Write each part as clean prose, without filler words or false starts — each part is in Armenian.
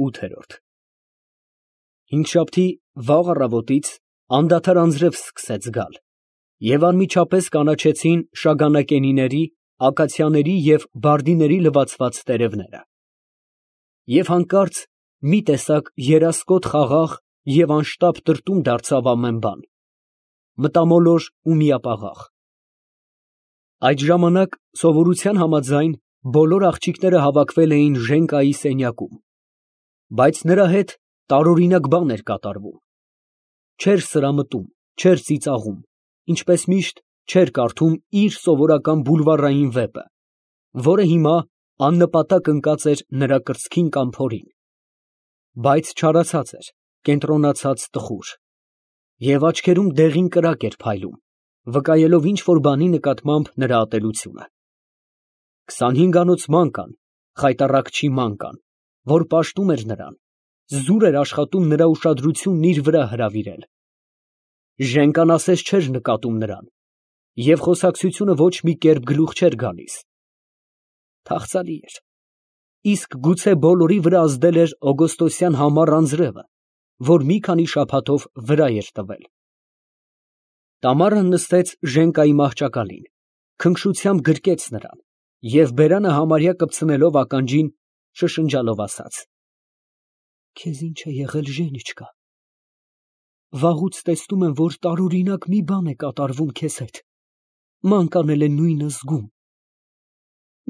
8։ Հինգշաբթի վաղ առավոտից անդադար անձրև սկսեց գալ, և անմիջապես կանաչեցին շագանակենիների, ակացիաների և բարդիների լվացված տերևները, և հանկարծ մի տեսակ երասկոտ խաղաղ և անշտապ տրտում դարձավ ամեն բան, մտամոլոր ու միապաղաղ։ Այդ ժամանակ սովորության համաձայն բոլոր աղջիկները հավաքվել էին Ժենկայի սենյակում, բայց նրա հետ տարօրինակ բան էր կատարվում. չէր սրամտում, չէր ծիծաղում, ինչպես միշտ չէր կարդում իր սովորական բուլվարային վեպը, որը հիմա աննպատակ ընկած էր նրա կրծքին կամ փորին, բայց չարացած էր, կենտրոնացած տխուր, և աչքերում դեղին կրակ էր փայլում, վկայելով ինչ֊որ բանի նկատմամբ նրա ատելությունը։ 25-անոց ման կան, խայտառակչի ման կան, որ պաշտում էր նրան, զուր էր աշխատում նրա ուշադրությունն իր վրա հրավիրել։ Ժենկան ասես չէր նկատում նրան, և խոսակցությունը ոչ մի կերպ գլուխ չէր գալիս։ Թախծալի էր, իսկ գուցե բոլորի վրա ազդել էր օգոստոսյան համառ անձրևը, որ մի քանի շաբաթով վրա էր տվել։ Տամարան նստեց Ժենկայի մահճակալին, քնքշությամբ գրկեց նրան և բերանը համարյա կպցնելով ականջին, շշնջալով ասաց. «Քեզ ինչ է եղել, Ժենիչկա, վաղուց տեսնում եմ, որ տարօրինակ մի բան է կատարվում քեզ հետ, մանկ անել է նույնը զգում,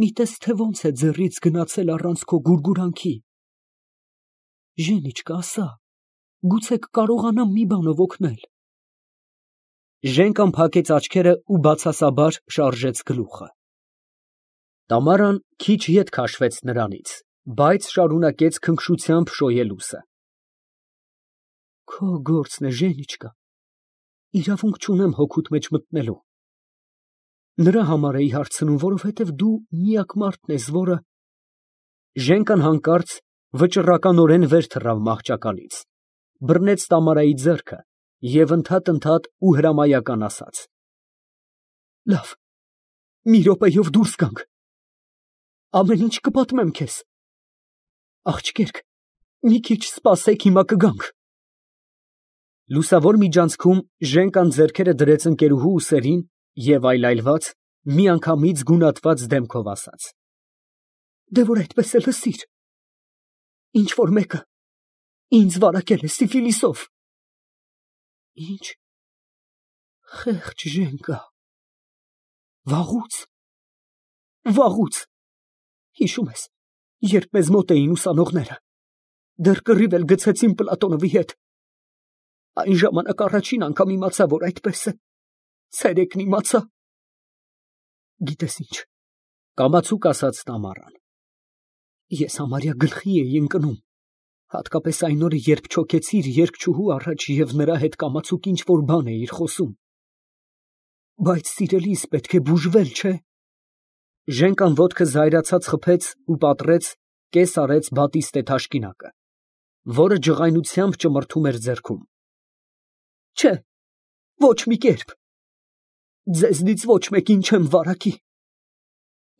մի տես, թե ոնց է ձեռից գնացել առանց քո գուրգուրանքի, Ժենիչկա, ասա, գուցե կկարողանամ մի բանով օգնել»։ Ժենկան փակեց աչքերը ու բացասաբար շարժեց գլուխը։ Տամարան քիչ ետ քաշվեց նրանից, բայց շարունակեց քնքշությամբ շոյելուսը։ Քո գործն է, Ժենիչկա, իրավունք չունեմ հոգուդ մեջ մտնելու։ Նրա համար էի հարցնում, որովհետև դու միակ մարդն ես, որը… Ժենկան հանկարծ վճռականորեն վեր թռավ մահճակալից, բռնեց Տամարայի ձեռքը և ընդհատ ու հրամայական ասաց. «Լավ, մի րոպեով դուրս գանք, ամեն ինչ կպատմեմ քեզ։ Աղջիկերք, մի քիչ սպասեք, հիմա կգանք»։ Լուսավոր միջանցքում Ժենկան ձեռքերը դրեց ընկերուհու ուսերին և այլայլված, միանգամից գունատված դեմքով ասաց. «Դե որ այդպես է, լսիր, ինչ֊որ մեկը ինձ վարակել է սիֆիլիսով»։ Ինչ, խեղճ Ժենկա, վաղուց, հիշում ես, երբ մեզ մոտ էին ուսանողները, դեռ կռիվ էլ գցեցին Պլատոնովի հետ, այն ժամանակ առաջին անգամ իմացա, որ այդպես է, ցերեկն իմացա։ Գիտես ինչ, կամացուկ ասաց Տամարան, ես համարյա գլխի էի ընկնում, հատկապես այն օրը, երբ չոքեցիր երգչուհու առաջ և նրա հետ կամացուկ ինչ-որ բան էիր խոսում։ Բայց սիրելիս, պետք է բուժվել, չէ՞։ Ժենկան ոտքը զայրացած խփեց ու պատռեց, կես արեց բատիստե թաշկինակը, որը ջղայնությամբ ճմրթում էր ձեռքում։ Չէ, ոչ մի կերպ, ձեզնից ոչ մեկին չեմ վարակի։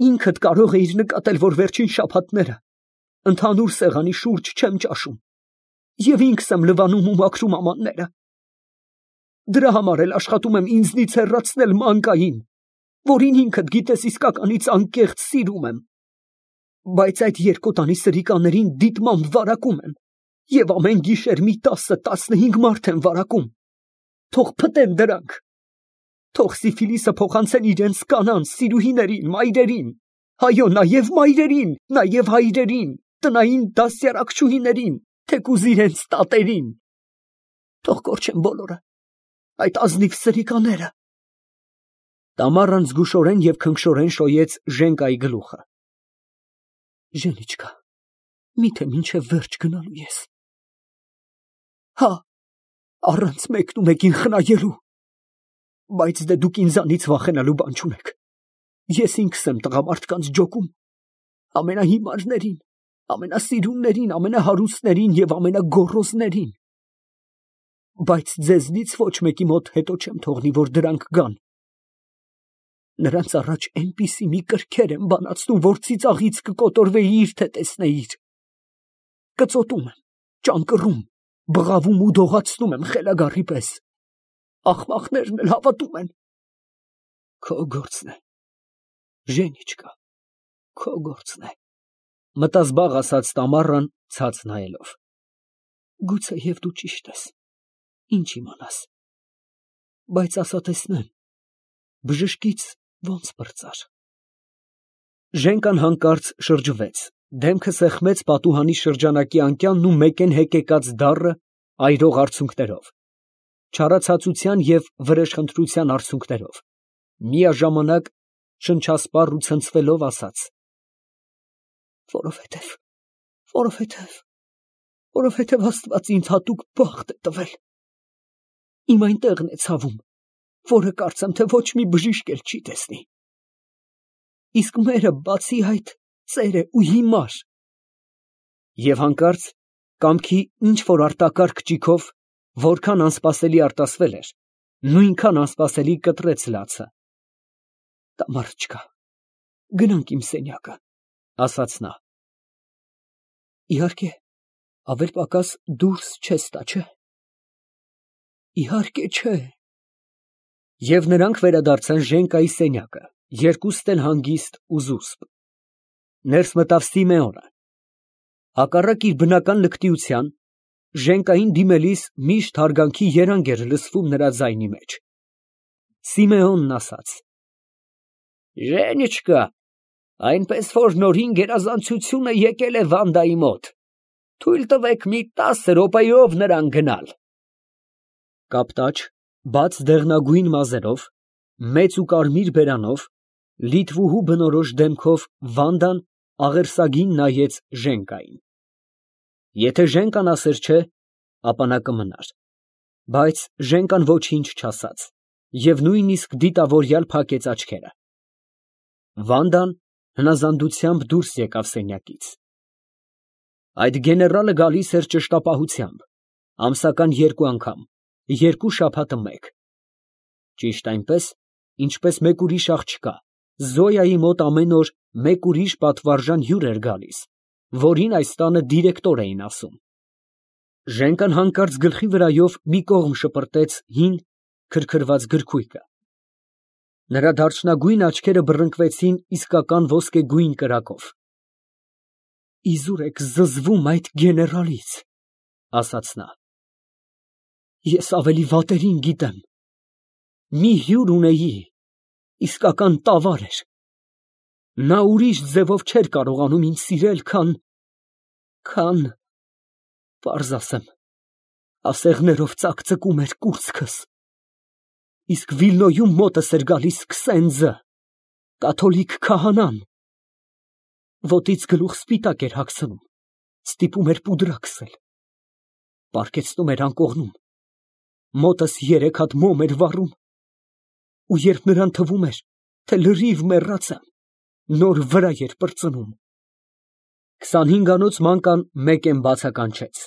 Ինքդ կարող էիր նկատել, որ վերջին շաբաթները ընդհանուր սեղանի շուրջ չեմ ճաշում և ինքս եմ լվանում ու մաքրում ամանները։ Դրա համար էլ աշխատում եմ ինձնից հեռացնել մանկային, որին ինքդ գիտես իսկականից անկեղծ սիրում եմ, բայց այդ երկոտանի սրիկաներին դիտմամբ վարակում եմ և ամեն գիշեր մի 10-15 մարդ եմ վարակում, թող փտեն դրանք, թող սիֆիլիսը փոխանցեն իրենց կանանց, սիրուհիներին, մայրերին, այո, նաև մայրերին, նաև հայրերին, տնային դաստիարակչուհիներին, թեկուզ իրենց տատերին, թող կորչեն բոլորը, այդ ազնիվ սրիկաները։ Տամարան զգուշորեն և քնքշորեն շոյեց Ժենկայի գլուխը։ Ժենիչկա, միթե մինչև վերջ գնալու ես։ Հա, առանց մեկնումեկին խնայելու։ Բայց դե դուք ինձանից վախենալու բան չունեք։ Ես ինքս եմ տղամարդկանց ջոկում, ամենահիմարներին, ամենասիրուններին, ամենահարուստներին և ամենագոռոզներին։ Բայց ձեզնից ոչ մեկի մոտ հետո չեմ թողնի, որ դրանք գան։ Նրանց առաջ այնպիսի մի կրքեր եմ բանացնում, որ ծիծաղից կկոտորվեիր, թե տեսնեիր։ կծոտում եմ, ճանկռում, բղավում ու դողացնում եմ խելագարի պես։ Աղմաղներն էլ հավատում են։ Քո գործն է, Ժենիչկա, քո գործն է, մտազբաղ ասաց Տամարան ցած նայելով։ Գուցե և դու ճիշտ ես, ինչ իմանաս, բայց ասա տեսնեմ, բժշկից ոնց պրծար։ Ժենկան հանկարծ շրջվեց, դեմքը սեղմեց պատուհանի շրջանակի անկյանն ու մեկեն հեկեկած դառը այրող արցունքներով, չարացածության և վրեժխնդրության արցունքներով, միաժամանակ շնչասպառ ու ցնցվելով ասաց. Որովհետև Աստված ինձ հատուկ բախտ է տվել։ Իմ այնտեղն է ցավում, որը կարծեմ, թե ոչ մի բժիշկ էլ չի տեսնի։ Իսկ մերը բացի այդ ծեր է ու հիմար։ Եվ հանկարծ կամքի ինչ որ արտակարգ ճիգով, որքան անսպասելի արտասվել էր, նույնքան անսպասելի կտրեց լացը։ Տամարочка, գնանք իմ սենյակը, ասաց նա։ Իհարկե, ավել֊պակաս դուրս չես տա, չէ՞։ Իհարկե չէ։ Եվ նրանք վերադարձան Ժենկայի սենյակը, երկուստ էլ հանգիստ ու զուսպ։ Ներս մտավ Սիմեոնը։ Հակառակ իր բնական լկտիության, Ժենկային դիմելիս միշտ հարգանքի երանգ էր լսվում նրա ձայնի մեջ։ Սիմեոնն ասաց. Ժենիչկա, այնպես որ նորին գերազանցությունը եկել է Վանդայի մոտ, թույլ տվեք մի 10 րոպեով նրան գնալ։ Կապտաչ, բաց դեղնագույն մազերով, մեծ ու կարմիր բերանով, լիտվուհու բնորոշ դեմքով Վանդան աղերսագին նայեց Ժենկային։ Եթե Ժենկան ասեր չէ, ապա նա կմնար, բայց Ժենկան ոչինչ չասաց և նույնիսկ դիտավորյալ փակեց աչքերը։ Վանդան հնազանդությամբ դուրս եկավ սենյակից։ Այդ գեներալը գալիս էր ճշտապահությամբ, ամսական 2 անգամ, 2 շաբաթը մեկ։ Ճիշտ այնպես, ինչպես մեկ ուրիշ աղջկա, Զոյայի մոտ ամեն օր մեկ ուրիշ պատվարժան հյուր էր գալիս, որին այս տանը դիրեկտոր էին ասում։ Ժենկան հանկարծ գլխի վրայով մի կողմ շպրտեց հին, քրքրված գրքույկը։ Նրա դարչնագույն աչքերը բռնկվեցին իսկական ոսկեգույն կրակով։ Իզուր եք զզվում այդ գեներալից, ասաց նա։ Ես ավելի վատերին գիտեմ։ Մի հյուր ունեի, իսկական տավար էր։ Նա ուրիշ ձևով չէր կարողանում ինձ սիրել, քան, պարզ ասեմ, ասեղներով ծակծկում էր կուրծքս։ Իսկ Վիլնոյում մոտս էր գալիս Քսենձը, կաթոլիկ քահանան։ Ոտից գլուխ սպիտակ էր հագցնում, ստիպում էր պուդրա քսել, պառկեցնում էր անկողնում, մոտս 3 հատ մոմ էր վառում, ու երբ նրան թվում էր, թե լրիվ մեռած եմ, նոր վրա էր պրծնում։ 25-անոց մանկան մեկեն բացականչեց.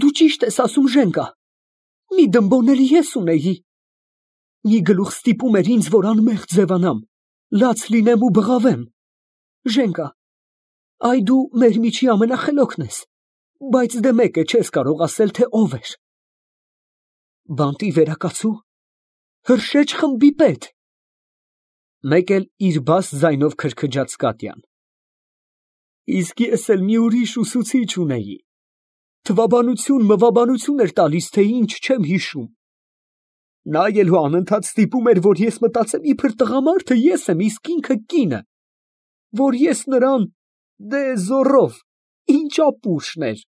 Դու ճիշտ ես ասում, Ժենկա, մի դմբոն էլ ես ունեի։ Մի գլուխ ստիպում էր ինձ, որ անմեղ ձևանամ, լաց լինեմ ու բղավեմ։ Ժենկա, այ դու մեր միջի ամենախելոքն ես, բայց դե մեկ է չես կարող ասել, թե ով էր։ Բանտի վերակացու, Հրշեջ խմբի պետ։ Մեկ էլ իր բաս ձայնով քրքջաց Կատյան։ Իսկ ես էլ մի ուրիշ ուսուցիչ ունեի, թվաբանություն էր տալիս, թե ինչ չեմ հիշում։ Նա էլ անընդհատ ստիպում էր, որ ես մտածեմ, իբր տղամարդը ես եմ, իսկ ինքը կինը, որ ես նրան, դե զոռով, ինչ ապուշն էր։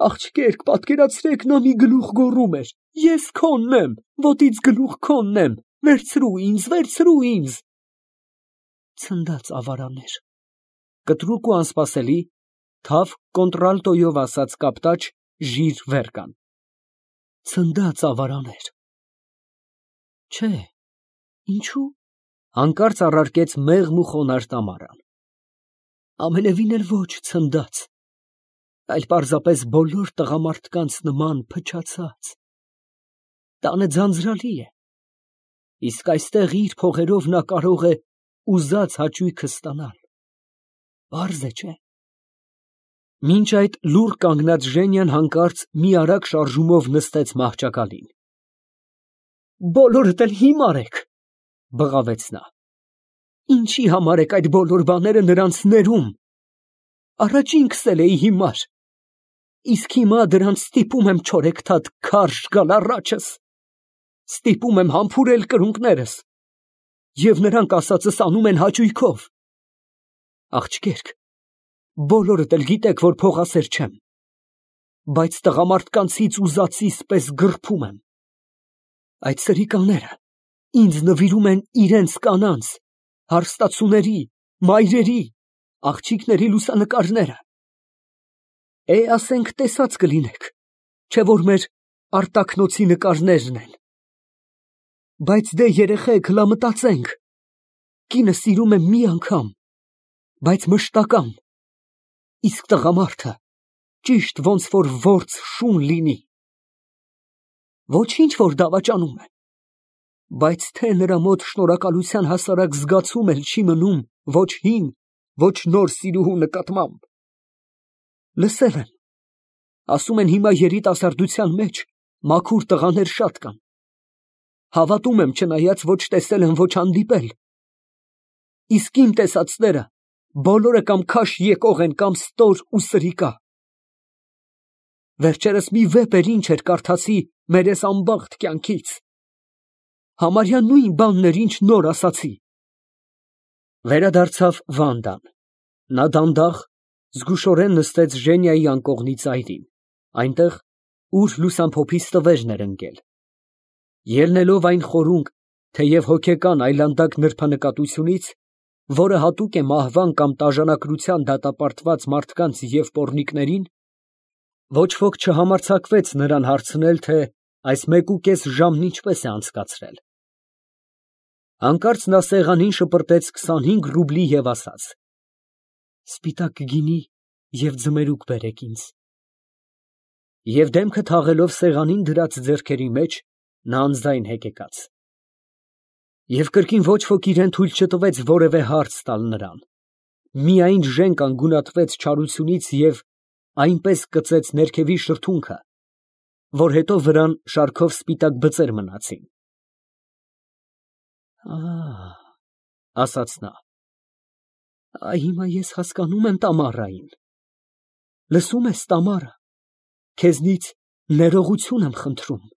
Աղջկերք, պատկերացրեք, նա մի գլուխ գոռում էր. Ես քոնն եմ, ոտից գլուխ քոնն եմ, վերցրու ինձ։ Ցնդած ավարաներ։ Կտրուկ ու անսպասելի, թավ կոնտրալտոյով ասաց կապտաչ ժիր վերկան։ Ցնդած ավարաներ։ Չէ, ինչու՞։ Հանկարծ առարկեց մեղմ ու խոնարհ Տամարան։ Ամենևին էլ ոչ ցնդած, այլ պարզապես բոլոր տղամարդկանց նման փչացած։ Տանը ձանձրալի է, իսկ այստեղ իր փողերով նա կարող է ուզած հաճույքը ստանալ։ Պարզ է, չէ՞։ Մինչ այդ լուռ կանգնած Ժենյան հանկարծ մի արագ շարժումով նստեց մահճակալին։ Բոլորդ էլ հիմար եք, բղավեց նա։ Ինչի համար եք այդ բոլոր բաները նրանց ներում։ Առաջ ինքս էլ էի հիմար, իսկ հիմա դրանց ստիպում եմ չորեքթաթ քարշ գալ առաջս, ստիպում եմ համբուրել կրունկներս, և նրանք ասածս անում են հաճույքով։ Աղջիկերք, բոլորդ էլ գիտեք, որ փողասեր չեմ, բայց տղամարդկանցից ուզածիս պես գռփում եմ։ Այդ սրիկաները ինձ նվիրում են իրենց կանանց, հարստացուների, մայրերի, աղջիկների լուսանկարները։ Ասենք տեսած կլինեք, չէ որ մեր արտաքնոցի նկարներն են։ Բայց դե երեխեք, հլա մտածենք, կինը սիրում է մի անգամ, բայց մշտական, իսկ տղամարդը ճիշտ ոնց որ որց շուն լինի։ Ոչինչ որ դավաճանում է, բայց թե նրա մոտ շնորհակալության հասարակ զգացում էլ չի մնում ոչ հին, ոչ նոր սիրուհու նկատմամբ։ Լսել եմ, ասում են հիմա երիտասարդության մեջ մաքուր տղաներ շատ կան։ Հավատում եմ, չնայած ոչ տեսել եմ, ոչ հանդիպել։ Իսկ իմ տեսածները բոլորը կամ քաշ եկող են, կամ ստոր ու սրիկա։ Վերջերս մի վեպ էր, ինչ էր, կարդացի մեր էս անբախտ կյանքից։ Համարյա նույն բանն էր, ինչ նոր ասացի։ Վերադարձավ Վանդան։ Նա դանդաղ, զգուշորեն նստեց Ժենիայի անկողնի ծայրին, այնտեղ, ուր լուսամփոփի ստվերն էր ընկել։ Ելնելով այն խորունկ, թեև հոգեկան այլանդակ նրբանկատությունից, որը հատուկ է մահվան կամ տաժանակրության դատապարտված մարդկանց և պոռնիկներին, ոչ ոք չհամարձակվեց նրան հարցնել, թե այս 1.5 ժամն ինչպես է անցկացրել։ Հանկարծ նա սեղանին շպրտեց 25 ռուբլի և ասաց. «Սպիտակ գինի և ձմերուկ բերեք ինձ»։ Եվ դեմքը թաղելով սեղանին դրած ձեռքերի մեջ, նա անձայն հեկեկաց։ Եվ կրկին ոչ ոք իրան թույլ չտվեց որևէ հարց տալ նրան։ Միայն Ժենկան գունատվեց չարությունից և այնպես կծեց ներքևի շրթունքը, որ հետո վրան շարքով սպիտակ բծեր մնացին։ Ասաց նա, հիմա ես հասկանում եմ Տամարային։ Լսում ես, Տամարա, քեզնից ներողություն եմ խնդրում։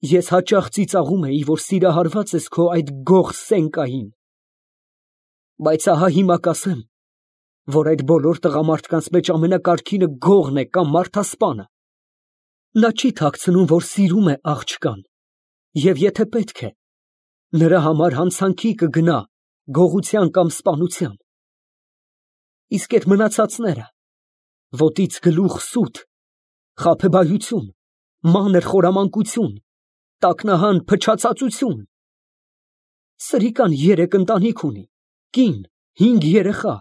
Ես հաճախ ծիծաղում էի, որ սիրահարված ես քո այդ գող Սենկային, բայց ահա հիմա կասեմ, որ այդ բոլոր տղամարդկանց մեջ ամենակարգինը գողն է կամ մարդասպանը։ Նա չի թաքցնում, որ սիրում է աղջկան, և եթե պետք է, նրա համար հանցանքի կգնա գողության կամ սպանության։ Իսկ այդ մնացածները, ոտից գլուխ սուտ, խաբեբայություն, մանր խորամանկություն, տակնահան փչացածություն։ Սրիկան 3 ընտանիք ունի, կին, 5 երեխա,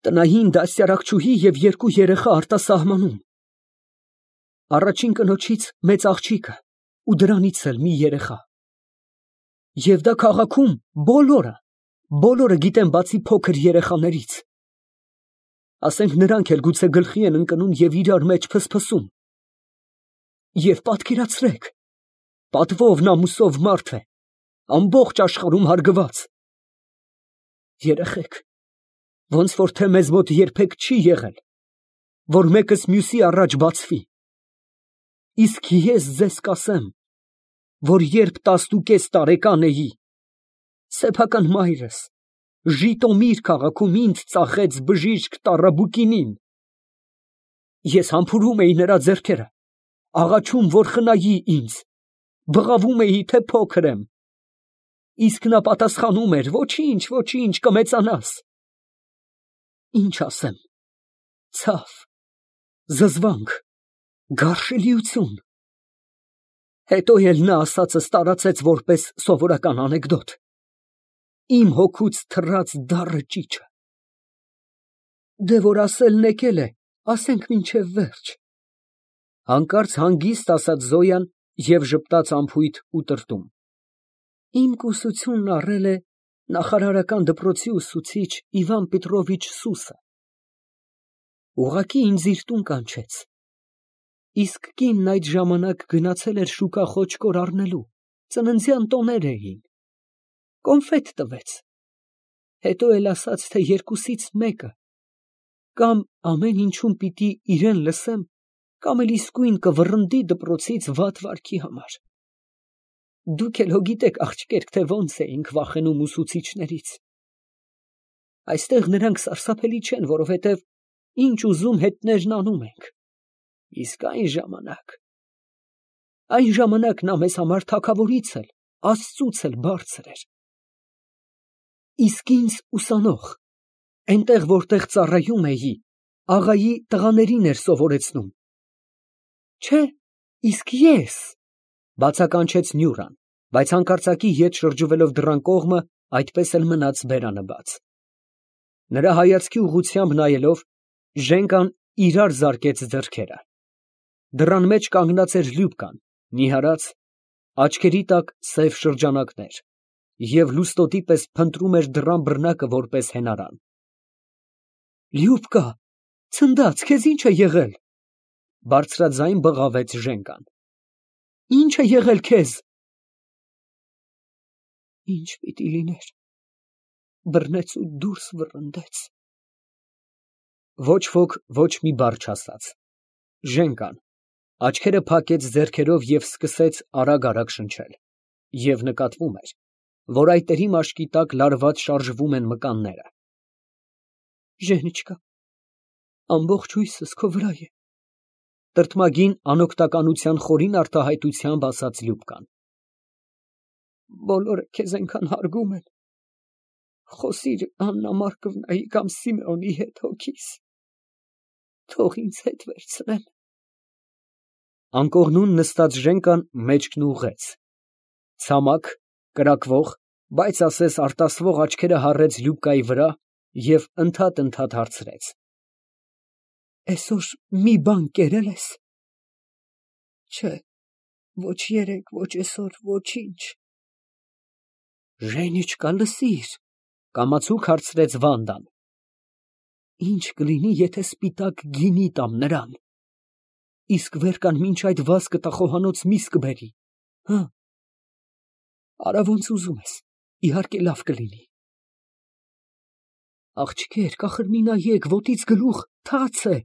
տնային դաստիարակչուհի և 2 երեխա արտասահմանում։ Առաջին կնոջից մեծ աղջիկը ու դրանից էլ մի երեխա։ Եվ դա քաղաքում բոլորը գիտեն բացի փոքր երեխաներից։ Ասենք նրանք էլ գուցե գլխի են ընկնում և իրար մեջ փսփսում։ Եվ պատկերացրեք, պատվով ամուսով մարդ է, ամբողջ աշխարհում հարգված։ Երեխեք, ոնց որ թե մեզ մոտ երբեք չի եղել, որ մեկս մյուսի առաջ բացվի։ Իսկ ես ձեզ կասեմ, որ երբ 10.5 տարեկան էի, սեփական մայրս Ժիտոմիր քաղաքում ինձ ծախեց բժիշկ Տարաբուկինին։ Ես համբուրում էի նրա ձեռքերը, աղաչում, որ խնայի ինձ, բղավում էի, թե փոքր եմ, իսկ նա պատասխանում էր. «Ոչինչ, ոչինչ, կմեծանաս»։ Ինչ ասեմ, ցավ, զզվանք, գարշելիություն։ Հետո էլ նա ասածս տարածեց որպես սովորական անեկդոտ, իմ հոգուց թռած դառը ճիչը։ Դե որ ասելն եկել է, ասենք մինչև վերջ։ Հանկարծ հանգիստ ասաց Զոյան և ժպտաց անփույթ ու տրտում։ Իմ կուսությունն առել է նախարարական դպրոցի ուսուցիչ Իվան Պետրովիչ Սուսը։ Ուղղակի ինձ իր տուն կանչեց։ Իսկ կինն այդ ժամանակ գնացել էր շուկա խոճկոր առնելու, ծննդյան տոներ էին։ Կոնֆետ տվեց, հետո էլ ասաց, թե երկուսից մեկը, կամ ամեն ինչում պիտի իրեն լսեմ, կամ էլ իսկույն կվռնդի դպրոցից վատ վարքի համար։ Դուք էլ հո գիտեք, աղջիկերք, թե ոնց էինք վախենում ուսուցիչներից։ Այստեղ նրանք սարսափելի չեն, որովհետև ինչ ուզում հետներն անում ենք։ Իսկ այն ժամանակ նա մեզ համար թագավորից էլ, Աստծուց էլ բարձր էր։ Իսկ ինձ ուսանող, այնտեղ որտեղ ծառայում էի, աղայի տղաներին էր սովորեցնում։ Չէ, իսկ ես, բացականչեց Նյուրան, բայց հանկարծակի ետ շրջվելով դռան կողմը, այդպես էլ մնաց բերանը բաց։ Նրա հայացքի ուղղությամբ նայելով, Ժենկան իրար զարկեց ձեռքերը։ Դռան մեջ կանգնած էր Լյուբկան, նիհարած, աչքերի տակ սև շրջանակներ, և լուստոտի պես փնտրում էր դռան բռնակը որպես հենարան։ Լյուբկա, ցնդած, քեզ ի՞նչ է եղել, բարձրաձայն բղավեց Ժենկան։ Ի՞նչ է եղել քեզ։ Ինչ պիտի լիներ, բռնեց ու դուրս վռնդեց։ Ոչ ոք ոչ մի բառ չասաց։ Ժենկան աչքերը փակեց ձեռքերով և սկսեց արագ շնչել, և նկատվում էր, որ այտերի մաշկի տակ լարված շարժվում են մկանները։ Ժենիչկա, ամբողջ հույսս քո վրա է, տրտմագին անօգնականության խորին արտահայտությամբ ասաց Լյուբկան։ Բոլորը քեզ այնքան հարգում են, խոսիր Աննա Մարկովնայի կամ Սիմեոնի հետ հոգիս, թող ինձ հետ վերցնեն։ Անկողնուն նստած Ժենկան մեջքն ուղղեց, ցամաք, կրակվող, բայց ասես արտասվող աչքերը հառեց Լյուբկայի վրա և ընդհատ հարցրեց. Այսօր մի բան կերել ես։ Չէ, ոչ երեկ, ոչ այսօր, ոչինչ։ Ժենիչկա, լսիր, կամացուկ հարցրեց Վանդան։ Ինչ կլինի, եթե սպիտակ գինի տամ նրան, իսկ վերկան մինչ այդ վազքը տխոհանոց միս կբերի, հը։ Արա ոնց ուզում ես, իհարկե լավ կլինի։ Աղջիկեր, կախր մի նայեք, ոտից գլուխ թաց է։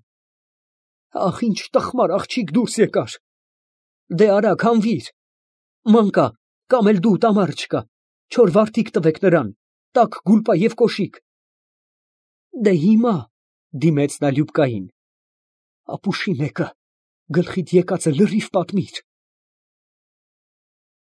Ախ, ինչ տխմար աղջիկ դուրս եկար։ Դե արագ հանվիր, մանկա, կամ էլ դու տամար չկա, չոր վարդիկ տվեք նրան, տաք գուլպա և կոշիկ։ Դե հիմա, դիմեց նա Լյուբկային, ապուշի մեկը, գլխիդ եկածը լրիվ պատմիր։